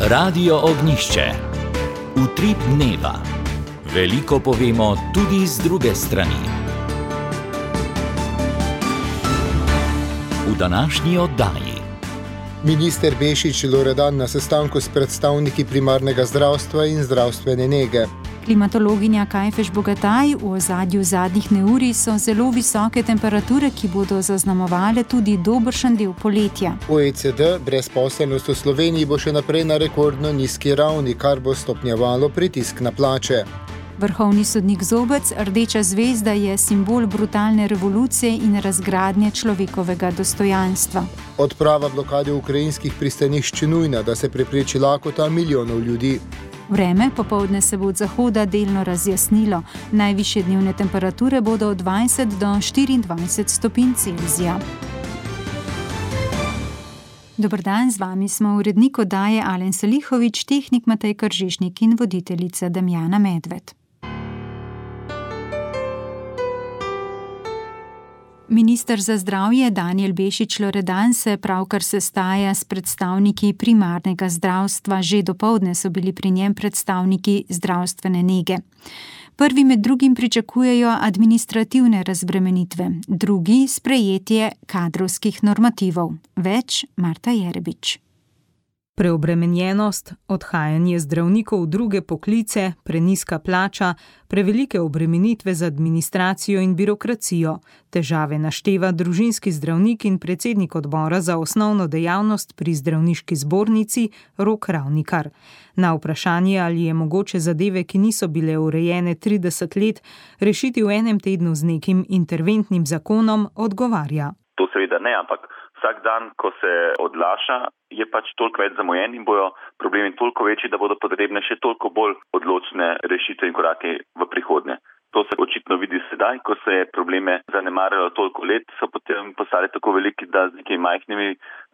Radio Ognjišče. Utrip dneva. Veliko povemo tudi z druge strani. V današnji oddaji. Minister Bešič Loredan na sestanku s predstavniki primarnega zdravstva in zdravstvene nege. Klimatologinja Kajfež Bogataj: v ozadju zadnjih neurij so zelo visoke temperature, ki bodo zaznamovale tudi dobršen del poletja. OECD: brezposelnost v Sloveniji bo še naprej na rekordno nizki ravni, kar bo stopnjevalo pritisk na plače. Vrhovni sodnik Zobec: rdeča zvezda je simbol brutalne revolucije in razgradnje človekovega dostojanstva. Odprava blokade ukrajinskih pristanišč nujna, da se prepreči lakota milijonov ljudi. Vreme popoldne se bo od zahoda delno razjasnilo. Najvišje dnevne temperature bodo od 20 do 24 stopinj Celzija. Dober dan, z vami smo urednik oddaje Alen Salihovič, tehnik Matej Kržišnik in voditeljica Damjana Medved. Minister za zdravje Danijel Bešič Loredan se pravkar sestaja s predstavniki primarnega zdravstva. Že dopoldne so bili pri njem predstavniki zdravstvene nege. Prvi med drugim pričakujejo administrativne razbremenitve, drugi sprejetje kadrovskih normativov. Več Marta Jerebič. Preobremenjenost, odhajanje zdravnikov v druge poklice, prenizka plača, prevelike obremenitve z administracijo in birokracijo. Težave našteva družinski zdravnik in predsednik odbora za osnovno dejavnost pri zdravniški zbornici Rok Ravnikar. Na vprašanje, ali je mogoče zadeve, ki niso bile urejene 30 let, rešiti v enem tednu z nekim interventnim zakonom, odgovarja. To seveda ne, ampak vsak dan, ko se odlaša, je pač toliko več zamujen in bojo problemi toliko večji, da bodo potrebne še toliko bolj odločne rešitve in korake v prihodnje. To se očitno vidi sedaj, ko se je probleme zanemarjalo toliko let, so potem postali tako veliki, da z nekimi majhnimi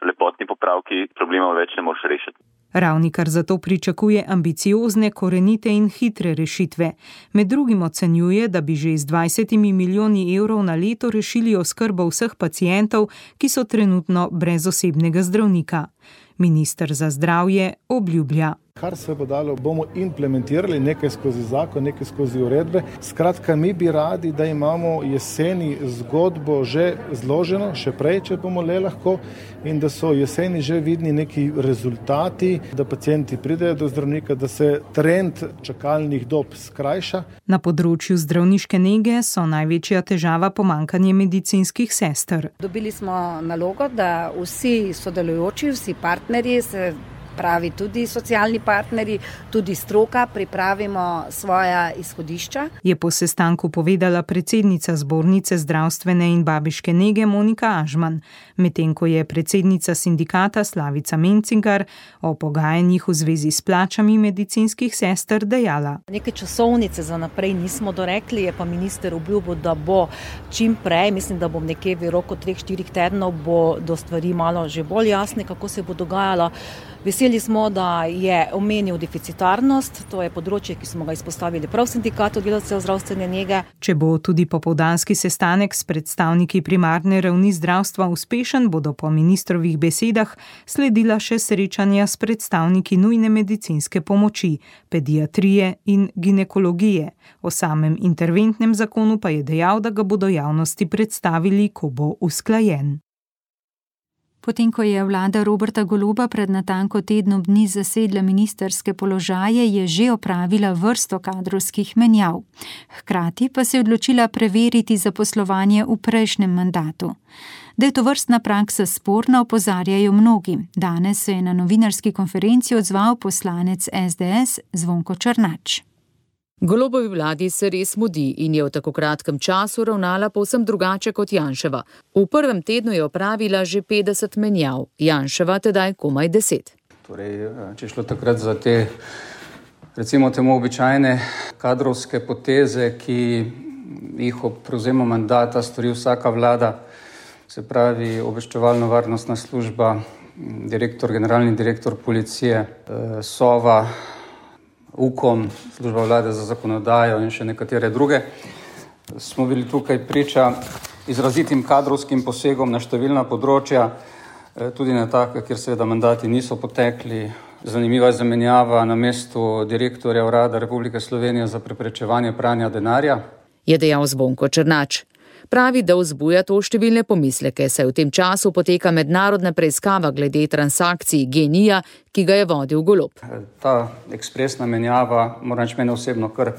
lepotnimi popravki problemov več ne moreš rešiti. Ravnikar zato pričakuje ambiciozne, korenite in hitre rešitve. Med drugim ocenjuje, da bi že z 20 milijoni evrov na leto rešili oskrbo vseh pacientov, ki so trenutno brez osebnega zdravnika. Minister za zdravje obljublja. Kar se bo dalo, bomo implementirali nekaj skozi zakon, nekaj skozi uredbe. Skratka, mi bi radi, da imamo jeseni zgodbo že zloženo, še prej, če bomo le lahko, in da so jeseni že vidni neki rezultati, da pacienti pridejo do zdravnika, da se trend čakalnih dob skrajša. Na področju zdravniške nege so največja težava pomanjkanje medicinskih sester. Dobili smo nalogo, da vsi sodelujoči, vsi partnerji, se pravi tudi socialni partnerji, tudi stroka, pripravimo svoja izhodišča. Je po sestanku povedala predsednica zbornice zdravstvene in babiške nege Monika Ažman, medtem ko je predsednica sindikata Slavica Mencingar o pogajanjih v zvezi s plačami medicinskih sester dejala. Neke časovnice za naprej nismo dorekli, je pa minister obljubil, da bo čim prej, mislim, da bom nekje v roku 3-4 tednov, bo do stvari malo že bolj jasne, kako se bo dogajalo. Veseli smo, da je omenil deficitarnost, to je področje, ki smo ga izpostavili prav v sindikatu delavcev zdravstvene nege. Če bo tudi popoldanski sestanek s predstavniki primarne ravni zdravstva uspešen, bodo po ministrovih besedah sledila še srečanja s predstavniki nujne medicinske pomoči, pediatrije in ginekologije. O samem interventnem zakonu pa je dejal, da ga bodo javnosti predstavili, ko bo usklajen. Potem, ko je vlada Roberta Goloba pred natanko tednom dni zasedla ministrske položaje, je že opravila vrsto kadrovskih menjav. Hkrati pa se je odločila preveriti zaposlovanje v prejšnjem mandatu. Da je tovrstna praksa sporna, opozarjajo mnogi. Danes se je na novinarski konferenci odzval poslanec SDS Zvonko Černač. Golobovi vladi se res mudi in je v tako kratkem času ravnala povsem drugače kot Janševa. V prvem tednu je opravila že 50 menjav, Janševa tedaj komaj 10. Torej, če šlo takrat za te, recimo temu običajne kadrovske poteze, ki jih ob prevzemu mandata stori vsaka vlada, se pravi obveščevalno-varnostna služba, generalni direktor policije, Sova, UKOM, služba vlade za zakonodajo in še nekatere druge. Smo bili tukaj priča izrazitim kadrovskim posegom na številna področja, tudi na taka, kjer seveda mandati niso potekli, Zanimiva zamenjava na mestu direktorja Urada Republike Slovenije za preprečevanje pranja denarja, je dejal Zvonko Černač. Pravi, da vzbuja to številne pomisleke, saj v tem času poteka mednarodna preiskava glede transakcij GEN-I-ja, ki ga je vodil Golob. Ta ekspresna menjava, moram reči, mene osebno kar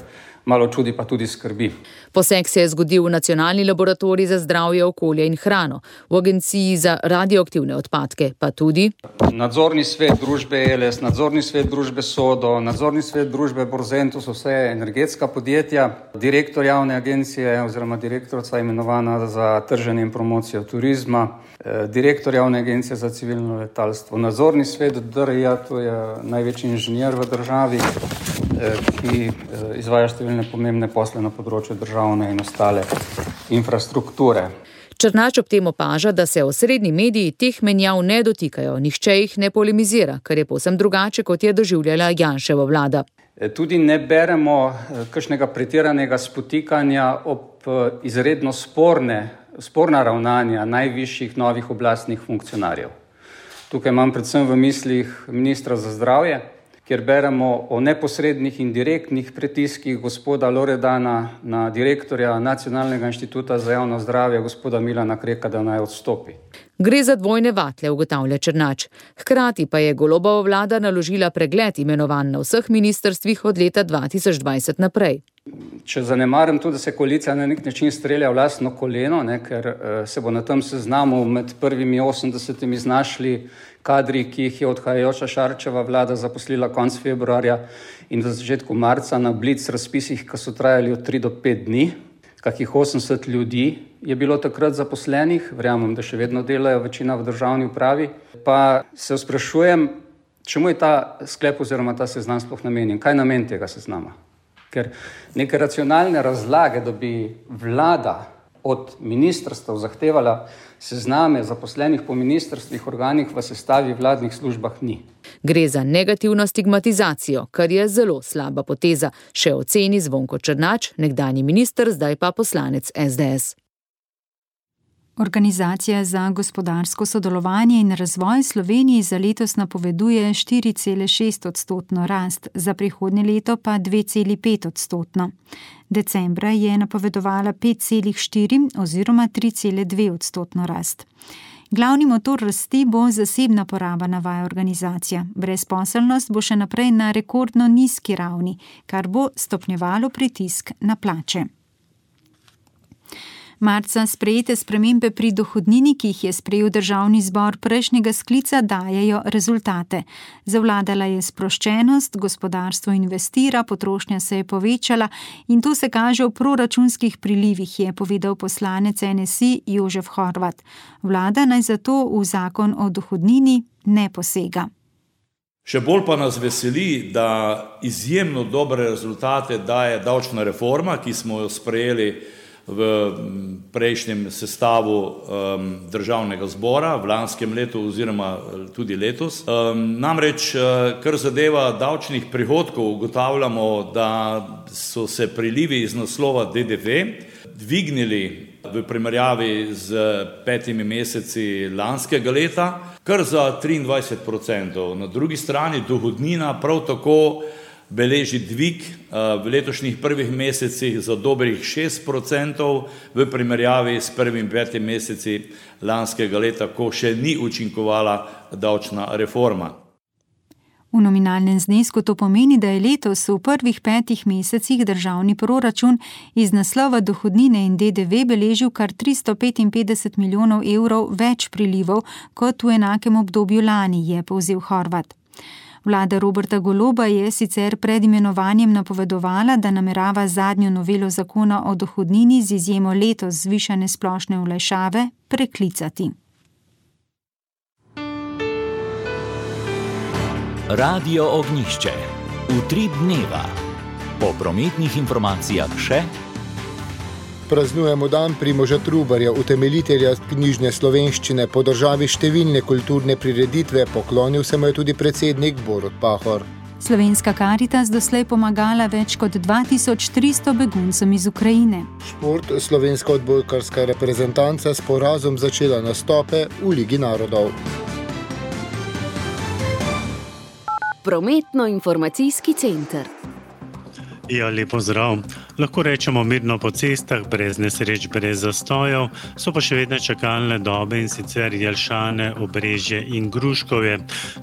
malo čudi, pa tudi skrbi. Poseg se je zgodil v Nacionalni laboratorij za zdravje, okolje in hrano, v Agenciji za radioaktivne odpadke, pa tudi nadzorni svet družbe ELS, nadzorni svet družbe Sodo, nadzorni svet družbe Borzentus, vse energetska podjetja, direktor javne agencije oziroma direktorica imenovana za trženje in promocijo turizma, direktor javne agencije za civilno letalstvo, nadzorni svet DRI-ja, to je največji inženir v državi, ki izvaja številne pomembne posle na področju državne in ostale infrastrukture. Černač ob tem opaža, da se osrednji mediji teh menjav ne dotikajo, nihče jih ne polemizira, kar je povsem drugače, kot je doživljala Janševa vlada. Tudi ne beremo kakšnega pretiranega spotikanja ob izredno sporna ravnanja najvišjih novih oblastnih funkcionarjev. Tukaj imam predvsem v mislih ministra za zdravje, kjer beremo o neposrednih in direktnih pritiskih gospoda Loredana na direktorja Nacionalnega inštituta za javno zdravje, gospoda Milana Kreka, da naj odstopi. Gre za dvojne vatle, ugotavlja Černač. Hkrati pa je Golobova vlada naložila pregled imenovanj na vseh ministrstvih od leta 2020 naprej. Če zanemarim tudi, da se koalicija na nek način strelja v lastno koleno, ker se bo na tem seznamu med prvimi 80 znašli kadri, ki jih je odhajajoča Šarčeva vlada zaposlila konec februarja in v začetku marca na blic razpisih, ki so trajali od 3 do 5 dni. Kakih 80 ljudi je bilo takrat zaposlenih, verjamem, da še vedno delajo, večina v državni upravi. Pa se sprašujem, čemu je ta sklep oziroma ta seznam sploh namenjen? Kaj je namen tega seznama? Ker neke racionalne razlage, da bi vlada od ministrstev zahtevala sezname zaposlenih po ministrstvih, organih v sestavi vladnih službah ni. Gre za negativno stigmatizacijo, kar je zelo slaba poteza, še oceni Zvonko Černač, nekdanji minister, zdaj pa poslanec SDS. Organizacija za gospodarsko sodelovanje in razvoj Sloveniji za letos napoveduje 4,6% rast, za prihodnje leto pa 2,5%. Decembra je napovedovala 5,4 oziroma 3,2% rast. Glavni motor rasti bo zasebna poraba, navaja organizacija. Brezposelnost bo še naprej na rekordno nizki ravni, kar bo stopnjevalo pritisk na plače. Marca sprejete spremembe pri dohodnini, ki jih je sprejel državni zbor prejšnjega sklica, dajejo rezultate. Zavladala je sproščenost, gospodarstvo investira, potrošnja se je povečala in to se kaže v proračunskih prilivih, je povedal poslanec NSI Jožef Horvat. Vlada naj zato v zakon o dohodnini ne posega. Še bolj pa nas veseli, da izjemno dobre rezultate daje davčna reforma, ki smo jo sprejeli v prejšnjem sestavu državnega zbora v lanskem letu oziroma tudi letos. Namreč, kar zadeva davčnih prihodkov, ugotavljamo, da so se prilivi iz naslova DDV dvignili v primerjavi z 5 meseci lanskega leta, kar za 23%. Na drugi strani dohodnina prav tako beleži dvig v letošnjih prvih mesecih za dobrih 6% v primerjavi s prvim 5 meseci lanskega leta, ko še ni učinkovala davčna reforma. V nominalnem znesku to pomeni, da je letos v prvih 5 mesecih državni proračun iz naslova dohodnine in DDV beležil kar 355 milijonov evrov več prilivov kot v enakem obdobju lani, je povzel Horvat. Vlada Roberta Goloba je sicer pred imenovanjem napovedovala, da namerava zadnjo novelo zakona o dohodnini z izjemo letos zvišane splošne olajšave preklicati. Radio Ognjišče. Utrip dneva. Po prometnih informacijah še praznujemo dan Primoža Trubarja, utemeljitelja knjižne slovenščine. Po državi številne kulturne prireditve, poklonil se mu je tudi predsednik Borut Pahor. Slovenska Karitas doslej pomagala več kot 2300 beguncem iz Ukrajine. Šport, slovenska odbojkarska reprezentanca s porazom začela nastope v Ligi narodov. Prometno-informacijski center. Ja, lepo zdrav. Lahko rečemo mirno po cestah, brez nesreč, brez zastojev, so pa še vedno čakalne dobe, in sicer Jelšane, Obrežje in Gruškovje.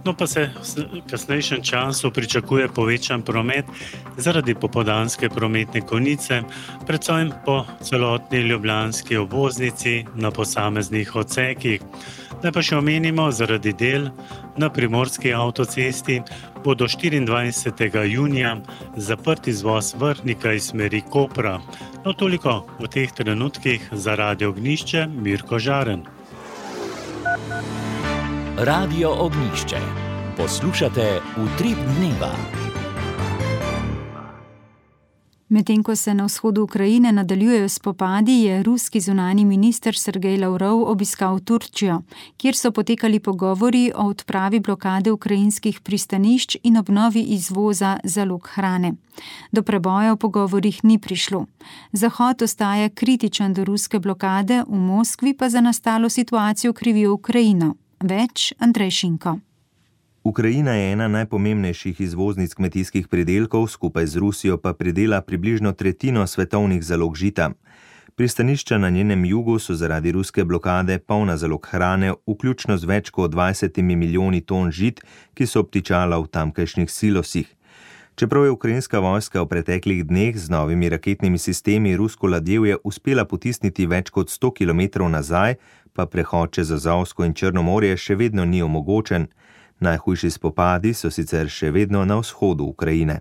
No pa se v kasnejšem času pričakuje povečan promet zaradi popoldanske prometne konice, predvsem po celotni ljubljanski obvoznici na posameznih odsekih. Naj pa še omenimo, zaradi del na Primorski avtocesti bo do 24. junija zaprt izvoz Vrhnika iz smeri Kopra. No, toliko v teh trenutkih za Radio Ognjišče, Mirko Žaren. Radio Ognjišče. Poslušate Utrip dneva. Medtem ko se na vzhodu Ukrajine nadaljujejo spopadi, je ruski zunanji minister Sergej Lavrov obiskal Turčijo, kjer so potekali pogovori o odpravi blokade ukrajinskih pristanišč in obnovi izvoza zalog hrane. Do preboja v pogovorih ni prišlo. Zahod ostaja kritičen do ruske blokade, v Moskvi pa za nastalo situacijo krivijo Ukrajino. Več Andrej Šinko. Ukrajina je ena najpomembnejših izvoznic kmetijskih pridelkov, skupaj z Rusijo pa pridela približno tretjino svetovnih zalog žita. Pristanišča na njenem jugu so zaradi ruske blokade polna zalog hrane, vključno z več kot 20 milijoni ton žit, ki so obtičala v tamkajšnjih silosih. Čeprav je ukrajinska vojska v preteklih dneh z novimi raketnimi sistemi rusko ladjevje uspela potisniti več kot 100 km nazaj, pa prehod čez Azovsko in Črno morje še vedno ni omogočen. Najhujši spopadi so sicer še vedno na vzhodu Ukrajine.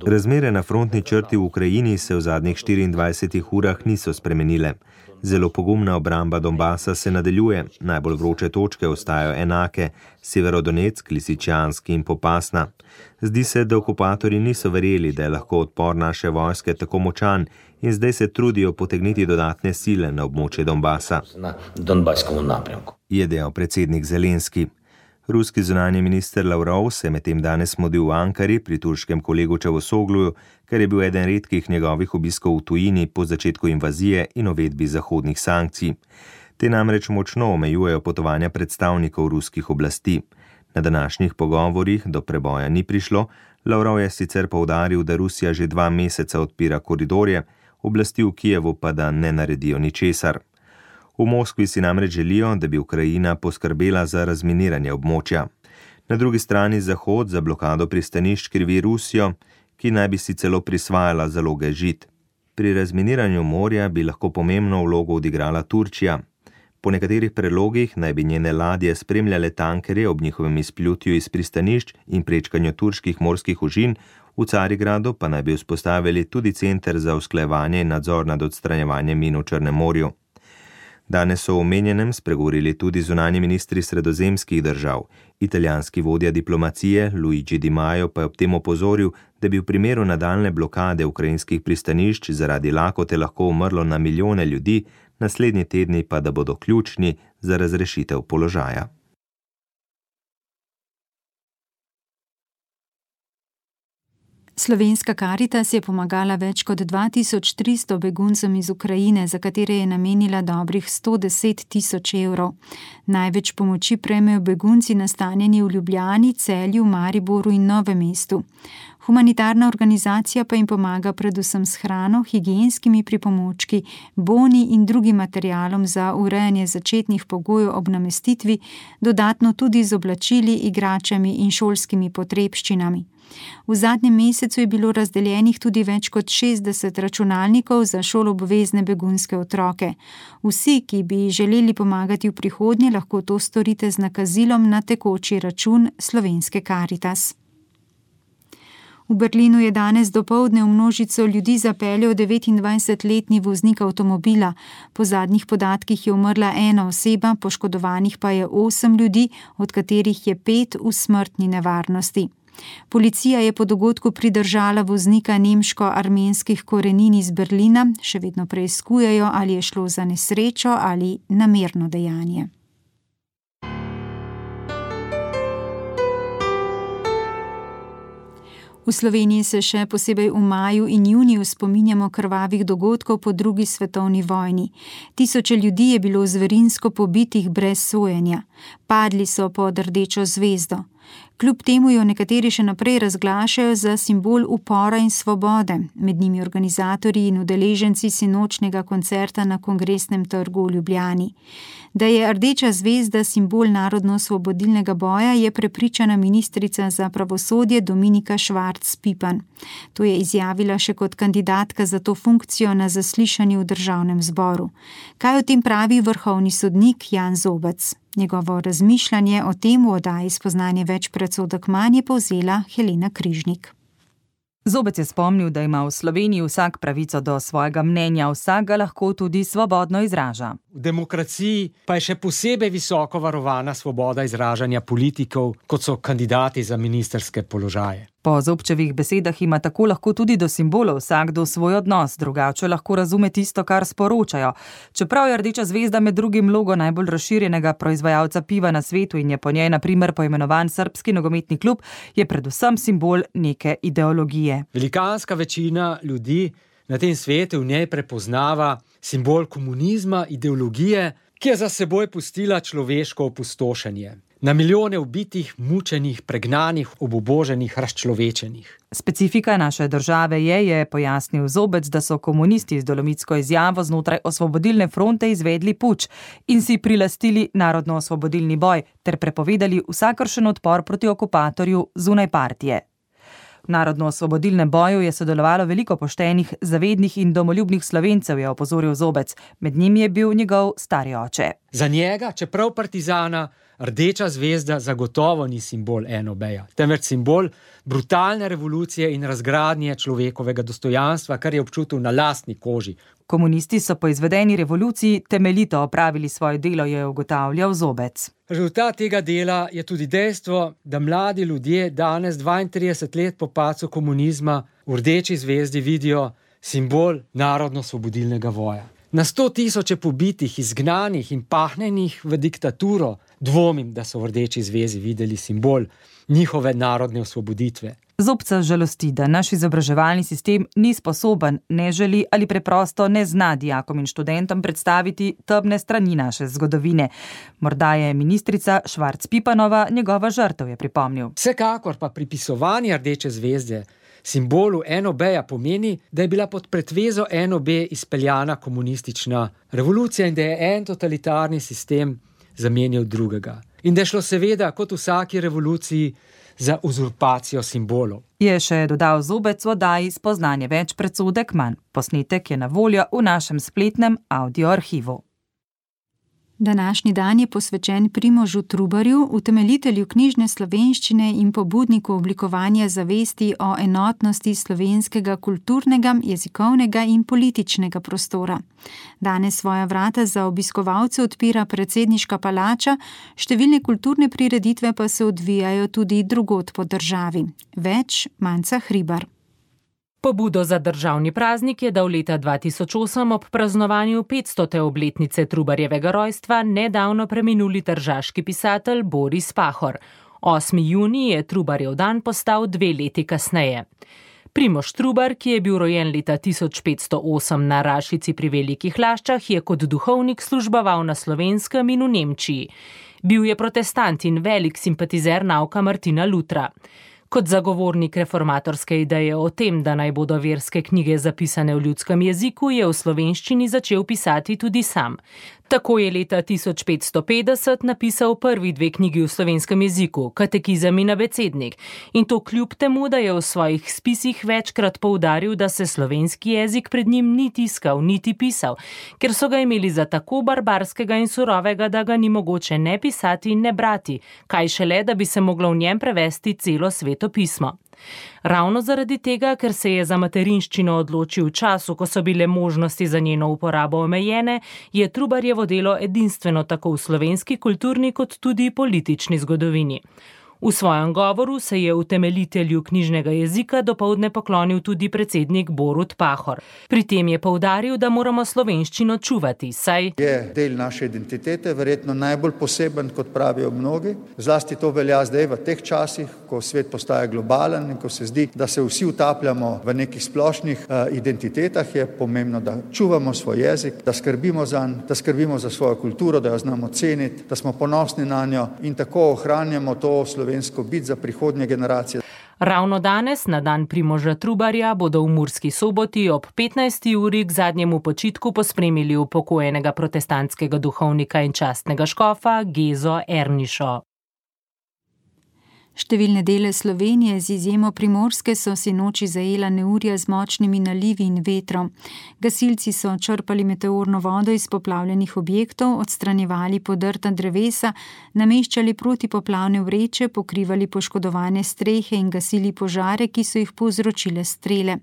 Razmere na frontni črti v Ukrajini se v zadnjih 24 urah niso spremenile. Zelo pogumna obramba Donbasa se nadaljuje, najbolj vroče točke ostajajo enake, Severodonetsk, Lisičansk in Popasna. Zdi se, da okupatorji niso verjeli, da je lahko odpor naše vojske tako močan, in zdaj se trudijo potegniti dodatne sile na območje Donbasa, je dejal predsednik Zelenski. Ruski zunanji minister Lavrov se medtem danes mudil v Ankari pri turškem kolegu Čavusogluju, ker je bil eden redkih njegovih obiskov v tujini po začetku invazije in uvedbi zahodnih sankcij. Te namreč močno omejujejo potovanja predstavnikov ruskih oblasti. Na današnjih pogovorih do preboja ni prišlo, Lavrov je sicer poudaril, da Rusija že 2 meseca odpira koridorje, oblasti v Kijevu pa da ne naredijo ničesar. V Moskvi si namreč želijo, da bi Ukrajina poskrbela za razminiranje območja. Na drugi strani Zahod za blokado pristanišč krivi Rusijo, ki naj bi si celo prisvajala zaloge žit. Pri razminiranju morja bi lahko pomembno vlogo odigrala Turčija. Po nekaterih predlogih naj bi njene ladje spremljale tankerje ob njihovem izplutju iz pristanišč in prečkanju turških morskih ožin, v Carigradu pa naj bi vzpostavili tudi center za usklajevanje in nadzor nad odstranjevanjem min v Črnem morju. Danes so v omenjenem spregovorili tudi zunanji ministri sredozemskih držav. Italijanski vodja diplomacije Luigi Di Maio pa je ob tem opozoril, da bi v primeru nadaljne blokade ukrajinskih pristanišč zaradi lakote lahko umrlo na milijone ljudi, naslednji tedni pa da bodo ključni za razrešitev položaja. Slovenska Karitas je pomagala več kot 2300 beguncem iz Ukrajine, za katere je namenila dobrih 110 000 evrov. Največ pomoči prejmejo begunci nastanjeni v Ljubljani, Celju, Mariboru in Novem mestu. Humanitarna organizacija pa jim pomaga predvsem s hrano, higienskimi pripomočki, boni in drugim materialom za urejanje začetnih pogojev ob namestitvi, dodatno tudi z oblačili, igračami in šolskimi potrebščinami. V zadnjem mesecu je bilo razdeljenih tudi več kot 60 računalnikov za šoloobvezne begunske otroke. Vsi, ki bi želeli pomagati v prihodnje, lahko to storite z nakazilom na tekoči račun Slovenske Karitas. V Berlinu je danes dopoldne v množico ljudi zapeljal 29-letni voznik avtomobila. Po zadnjih podatkih je umrla 1 oseba, poškodovanih pa je 8 ljudi, od katerih je 5 v smrtni nevarnosti. Policija je po dogodku pridržala voznika nemško-armenskih korenin iz Berlina, še vedno preiskujejo, ali je šlo za nesrečo ali namerno dejanje. V V Sloveniji se še posebej v maju in juniju spominjamo krvavih dogodkov po drugi svetovni vojni. Tisoče ljudi je bilo zverinsko pobitih brez sojenja. Padli so pod rdečo zvezdo. Kljub temu jo nekateri še naprej razglašajo za simbol upora in svobode, med njimi organizatorji in udeleženci sinočnega koncerta na Kongresnem trgu v Ljubljani. Da je rdeča zvezda simbol narodno-osvobodilnega boja, je prepričana ministrica za pravosodje Dominika Švarc Pipan. To je izjavila še kot kandidatka za to funkcijo na zaslišanju v Državnem zboru. Kaj o tem pravi vrhovni sodnik Jan Zobec? Njegovo razmišljanje o tem v oddaji Spoznanje več predsodek manj je povzela Helena Križnik. Zobec je spomnil, da ima v Sloveniji vsak pravico do svojega mnenja, vsak ga lahko tudi svobodno izraža. V demokraciji pa je še posebej visoko varovana svoboda izražanja politikov, kot so kandidati za ministrske položaje. Po Zobčevih besedah ima tako lahko tudi do simbolov vsakdo svoj odnos, drugače lahko razume tisto, kar sporočajo. Čeprav je rdeča zvezda med drugim logo najbolj razširjenega proizvajalca piva na svetu in je po njej na primer poimenovan Srbski nogometni klub, je predvsem simbol neke ideologije. Velikanska večina ljudi na tem svetu v njej prepoznava simbol komunizma, ideologije, ki je za seboj pustila človeško opustošenje. Na milijone ubitih, mučenih, pregnanih, obuboženih, razčlovečenih. Specifika naše države je pojasnil Zobec, da so komunisti z dolomitsko izjavo znotraj Osvobodilne fronte izvedli puč in si prilastili narodno-osvobodilni boj ter prepovedali vsakršen odpor proti okupatorju zunaj partije. V narodno-osvobodilnem boju je sodelovalo veliko poštenih, zavednih in domoljubnih Slovencev, je opozoril Zobec. Med njimi je bil njegov stari oče. Za njega, čeprav partizana, rdeča zvezda zagotovo ni simbol NOB-ja, temveč simbol brutalne revolucije in razgradnje človekovega dostojanstva, kar je občutil na lastni koži. Komunisti so po izvedeni revoluciji temeljito opravili svoje delo, je ugotavljal Zobec. Rezultat tega dela je tudi dejstvo, da mladi ljudje danes 32 let po padcu komunizma v rdeči zvezdi vidijo simbol narodno-osvobodilnega boja. Na 100 000 pobitih, izgnanih in pahnenih v diktaturo dvomim, da so v rdeči zvezdi videli simbol njihove narodne osvoboditve. Zobca žalosti, da naš izobraževalni sistem ni sposoben, ne želi ali preprosto ne zna dijakom in študentom predstaviti temne strani naše zgodovine. Morda je ministrica Švarc Pipanova njegova žrtev, je pripomnil. Vsekakor pa pripisovanje rdeče zvezde simbolu NOB-ja pomeni, da je bila pod pretvezo NOB izpeljana komunistična revolucija in da je en totalitarni sistem zamenjal drugega. In da je šlo seveda, kot v vsaki revoluciji, za uzurpacijo simbolov. Je še dodal Zobec v oddaji Spoznanje več predsodek manj. Posnetek je na voljo v našem spletnem audio arhivu. Današnji dan je posvečen Primožu Trubarju, utemeljitelju knjižne slovenščine in pobudniku oblikovanja zavesti o enotnosti slovenskega kulturnega, jezikovnega in političnega prostora. Danes svoja vrata za obiskovalce odpira predsedniška palača, številne kulturne prireditve pa se odvijajo tudi drugod po državi. Več Manca Hribar. Pobudo za državni praznik je dal leta 2008 ob praznovanju 500. obletnice Trubarjevega rojstva nedavno preminuli tržaški pisatelj Boris Pahor. 8. junij je Trubarjev dan postal 2 leti kasneje. Primož Trubar, ki je bil rojen leta 1508 na Rašici pri Velikih Laščah, je kot duhovnik služboval na Slovenskem in v Nemčiji. Bil je protestant in velik simpatizer nauka Martina Lutra. Kot zagovornik reformatorske ideje o tem, da naj bodo verske knjige zapisane v ljudskem jeziku, je v slovenščini začel pisati tudi sam. Tako je leta 1550 napisal prvi 2 knjigi v slovenskem jeziku, Katekizem in Abecednik, in to kljub temu, da je v svojih spisih večkrat poudaril, da se slovenski jezik pred njim ni tiskal, niti pisal, ker so ga imeli za tako barbarskega in surovega, da ga ni mogoče ne pisati in ne brati, kaj šele, da bi se moglo v njem prevesti celo Sveto pismo. Ravno zaradi tega, ker se je za materinščino odločil v času, ko so bile možnosti za njeno uporabo omejene, je Trubarjevo delo edinstveno tako v slovenski kulturni kot tudi politični zgodovini. V svojem govoru se je utemeljitelju knjižnega jezika dopoldne poklonil tudi predsednik Borut Pahor. Pri tem je poudaril, da moramo slovenščino čuvati, saj je del naše identitete, verjetno najbolj poseben, kot pravijo mnogi. Zlasti to velja zdaj v teh časih, ko svet postaja globalen in ko se zdi, da se vsi utapljamo v nekih splošnih identitetah, je pomembno, da čuvamo svoj jezik, da skrbimo zanj, da skrbimo za svojo kulturo, da jo znamo ceniti, da smo ponosni na njo in tako ohranjamo to slovensko bit za prihodnje generacije. Ravno danes, na dan Primoža Trubarja, bodo v Murski Soboti ob 15. uri k zadnjemu počitku pospremili upokojenega protestantskega duhovnika in častnega škofa Gezo Ernišo. Številne dele Slovenije, z izjemo Primorske, so sinoči zajela neurja z močnimi nalivi in vetrom. Gasilci so črpali meteorno vodo iz poplavljenih objektov, odstranjevali podrta drevesa, nameščali protipoplavne vreče, pokrivali poškodovane strehe in gasili požare, ki so jih povzročile strele.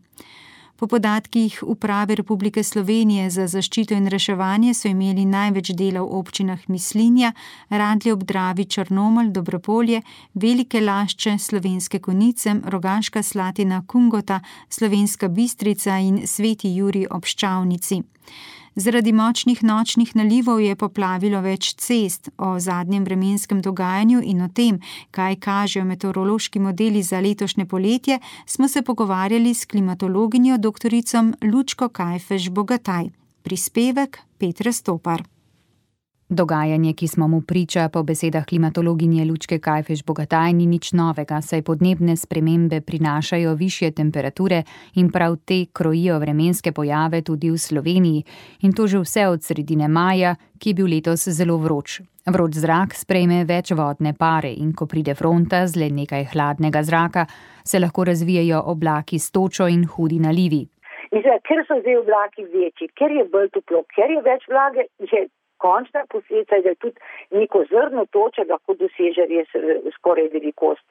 Po podatkih Uprave Republike Slovenije za zaščito in reševanje so imeli največ dela v občinah Mislinja, Radlje ob Dravi, Črnomelj, Dobropolje, Velike Lašče, Slovenske Konjice, Rogaška Slatina, Kungota, Slovenska Bistrica in Sveti Jurij ob Ščavnici. Zaradi močnih nočnih nalivov je poplavilo več cest. O zadnjem vremenskem dogajanju in o tem, kaj kažejo meteorološki modeli za letošnje poletje, smo se pogovarjali s klimatologinjo doktorico Lučko Kajfež Bogataj. Prispevek Petra Stopar. Dogajanje, ki smo mu priča, po besedah klimatologinje Lučke Kajfež Bogataj, ni nič novega, saj podnebne spremembe prinašajo višje temperature in prav te krojijo vremenske pojave tudi v Sloveniji. In to že vse od sredine maja, ki je bil letos zelo vroč. Vroč zrak sprejme več vodne pare in ko pride fronta z le nekaj hladnega zraka, se lahko razvijajo oblaki s točo in hudi nalivi. Mislim, ker so zdaj oblaki večji, ker je bolj toplo, ker je več vlage, je končna posledica, da tudi neko zrno toče lahko doseže res skoraj velikost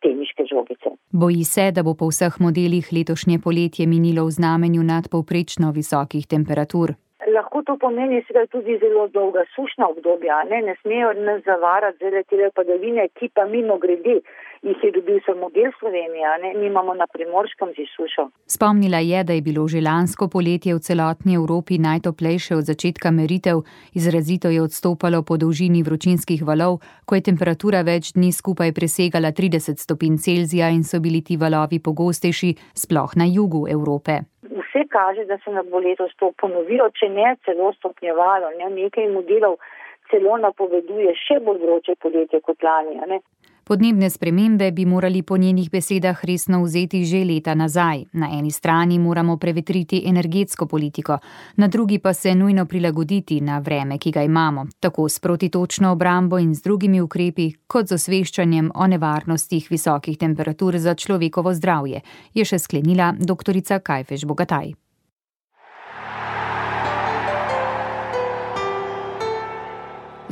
teniške žogice. Boji se, da bo po vseh modelih letošnje poletje minilo v znamenju nadpovprečno visokih temperatur. Lahko to pomeni seveda tudi zelo dolga sušna obdobja, ne smejo nas zavarati zelo te padavine, ki pa mimo grede jih je dobil samo del Slovenije, mi imamo na Primorskem že sušo. Spomnila je, da je bilo že lansko poletje v celotni Evropi najtoplejše od začetka meritev, izrazito je odstopalo po dolžini vročinskih valov, ko je temperatura več dni skupaj presegala 30 stopinj Celzija in so bili ti valovi pogostejši, sploh na jugu Evrope. Vse kaže, da se nam bo letos to ponovilo, če ne celo stopnjevalo. Nekaj modelov celo napoveduje še bolj vroče poletje kot lani. Podnebne spremembe bi morali po njenih besedah resno vzeti že leta nazaj. Na eni strani moramo prevetriti energetsko politiko, na drugi pa se nujno prilagoditi na vreme, ki ga imamo, tako s protitočno obrambo in z drugimi ukrepi, kot z osveščanjem o nevarnostih visokih temperatur za človekovo zdravje, je še sklenila doktorica Kajfež Bogataj.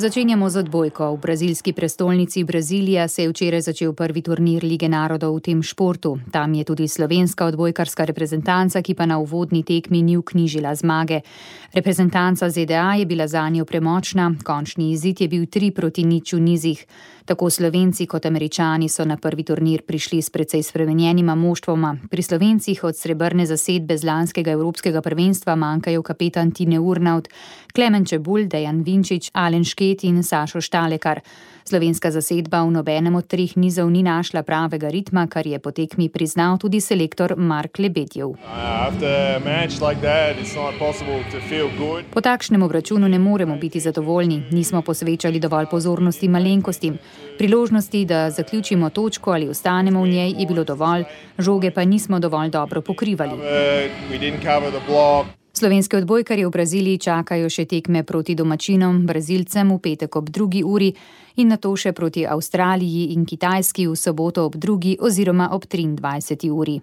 Začenjamo z odbojko. V brazilski prestolnici Brazilija se je včeraj začel prvi turnir Lige narodov v tem športu. Tam je tudi slovenska odbojkarska reprezentanca, ki pa na uvodni tekmi ni vknjižila zmage. Reprezentanca ZDA je bila zanjo premočna, končni izid je bil 3-0 v nizih. Tako Slovenci kot Američani so na prvi turnir prišli s precej spremenjenima moštvoma. Pri Slovencih od srebrne zasedbe z lanskega evropskega prvenstva manjkajo kapetan Tine Urnaut, Klemen Čebulj, Dejan Vinčič, Alen Šket in Sašo Štalekar. Slovenska zasedba v nobenem od 3 nizov ni našla pravega ritma, kar je po tekmi priznal tudi selektor Mark Lebedjev. Po takšnem obračunu ne moremo biti zadovoljni, nismo posvečali dovolj pozornosti malenkostim. Priložnosti, da zaključimo točko ali ostanemo v njej, je bilo dovolj, žoge pa nismo dovolj dobro pokrivali. Slovenske odbojkarje v Braziliji čakajo še tekme proti domačinom, Brazilcem v petek ob 2. uri in nato še proti Avstraliji in Kitajski v soboto ob 2. oziroma ob 23. uri.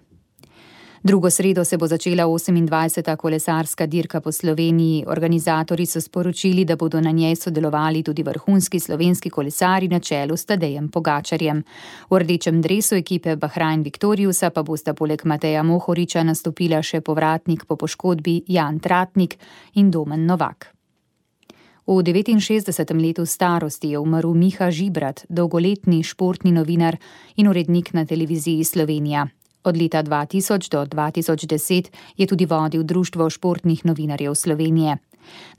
Drugo sredo se bo začela 28. kolesarska dirka po Sloveniji. Organizatorji so sporočili, da bodo na njej sodelovali tudi vrhunski slovenski kolesari na čelu s Tadejem Pogačarjem. V rdečem dresu ekipe Bahrain Victoriusa pa bosta poleg Mateja Mohoriča nastopila še povratnik po poškodbi Jan Tratnik in Domen Novak. V 69. letu starosti je umrl Miha Žibrat, dolgoletni športni novinar in urednik na televiziji Slovenija. Od leta 2000 do 2010 je tudi vodil Društvo športnih novinarjev Slovenije.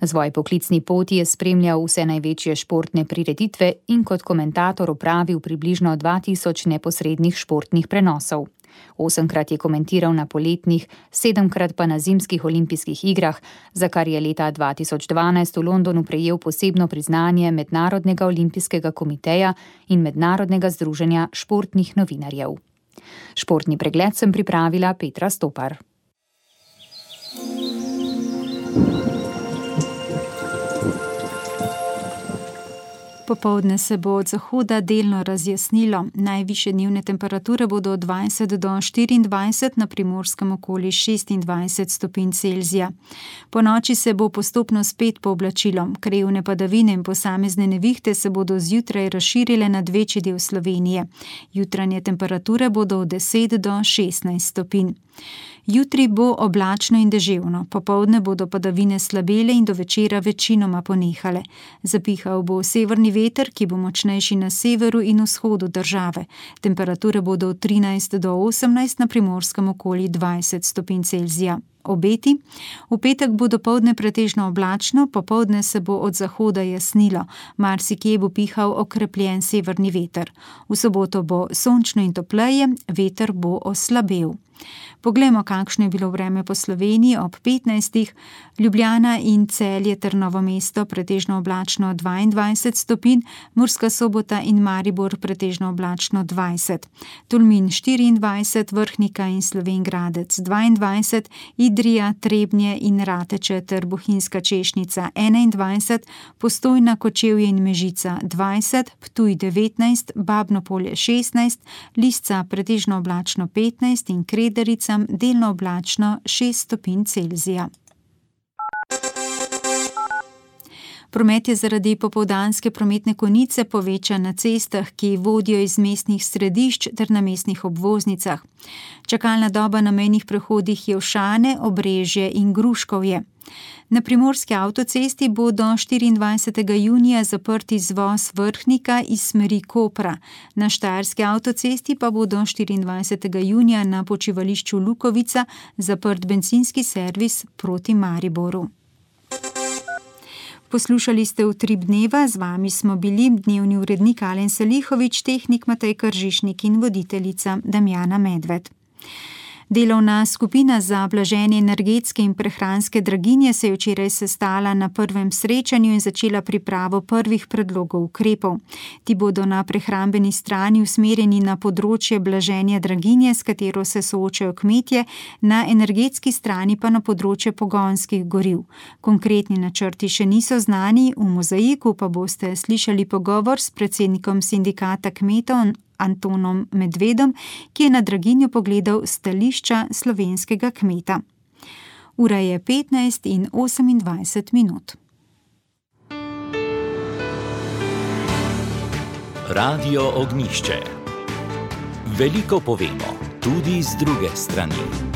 Na svoji poklicni poti je spremljal vse največje športne prireditve in kot komentator opravil približno 2000 neposrednih športnih prenosov. 8-krat je komentiral na poletnih, 7-krat pa na zimskih olimpijskih igrah, za kar je leta 2012 v Londonu prejel posebno priznanje Mednarodnega olimpijskega komiteja in Mednarodnega združenja športnih novinarjev. Športni pregled sem pripravila Petra Stopar. Popoldne se bo od zahoda delno razjasnilo. Najvišje dnevne temperature bodo od 20 do 24, na Primorskem okoli 26 stopinj Celzija. Po noči se bo postopno spet pooblačilo. Krajevne padavine in posamezne nevihte se bodo zjutraj razširile nad večji del Slovenije. Jutranje temperature bodo od 10 do 16 stopinj. Jutri bo oblačno in deževno, popoldne bodo padavine slabele in do večera večinoma ponehale. Zapihal bo severni veter, ki bo močnejši na severu in vzhodu države. Temperature bodo od 13 do 18, na Primorskem okoli 20 stopinj Celzija. Obeti. V petek bo dopoldne pretežno oblačno, popoldne se bo od zahoda jasnilo, marsikje bo pihal okrepljen severni veter. V soboto bo sončno in topleje, veter bo oslabel. Poglejmo, kakšno je bilo vreme po Sloveniji ob 15. Ljubljana in Celje ter Novo mesto pretežno oblačno 22 stopinj, Murska Sobota in Maribor pretežno oblačno 20, Tolmin 24, Vrhnika in Slovenj Gradec 22, Idrija, Trebnje in Rateče ter Bohinjska Češnica 21, Postojna, Kočevje in Mežica 20, Ptuj 19, Babno Polje 16, Lisca pretežno oblačno 15 in Kredericam delno oblačno 6 stopinj Celzija. Promet je zaradi popoldanske prometne konice povečan na cestah, ki vodijo iz mestnih središč ter na mestnih obvoznicah. Čakalna doba na mejnih prehodih Jelšane, Obrežje in Gruškovje. Na primorski avtocesti bo do 24. junija zaprt izvoz Vrhnika iz smeri Kopra. Na štajerski avtocesti pa bo do 24. junija na počivališču Lukovica zaprt bencinski servis proti Mariboru. Poslušali ste Utrip dneva, z vami smo bili dnevni urednik Alen Salihović, tehnik Matej Kržišnik in voditeljica Damjana Medved. Delovna skupina za blaženje energetske in prehranske draginje se je včeraj sestala na prvem srečanju in začela pripravo prvih predlogov ukrepov. Ti bodo na prehrambeni strani usmerjeni na področje blaženja draginje, s katero se soočajo kmetje, na energetski strani pa na področje pogonskih goriv. Konkretni načrti še niso znani, v Mozaiku pa boste slišali pogovor s predsednikom sindikata kmetov Antonom Medvedom, ki je na draginjo pogledal stališča slovenskega kmeta. Ura je 15:28. Radio Ognjišče. Veliko povemo, tudi z druge strani.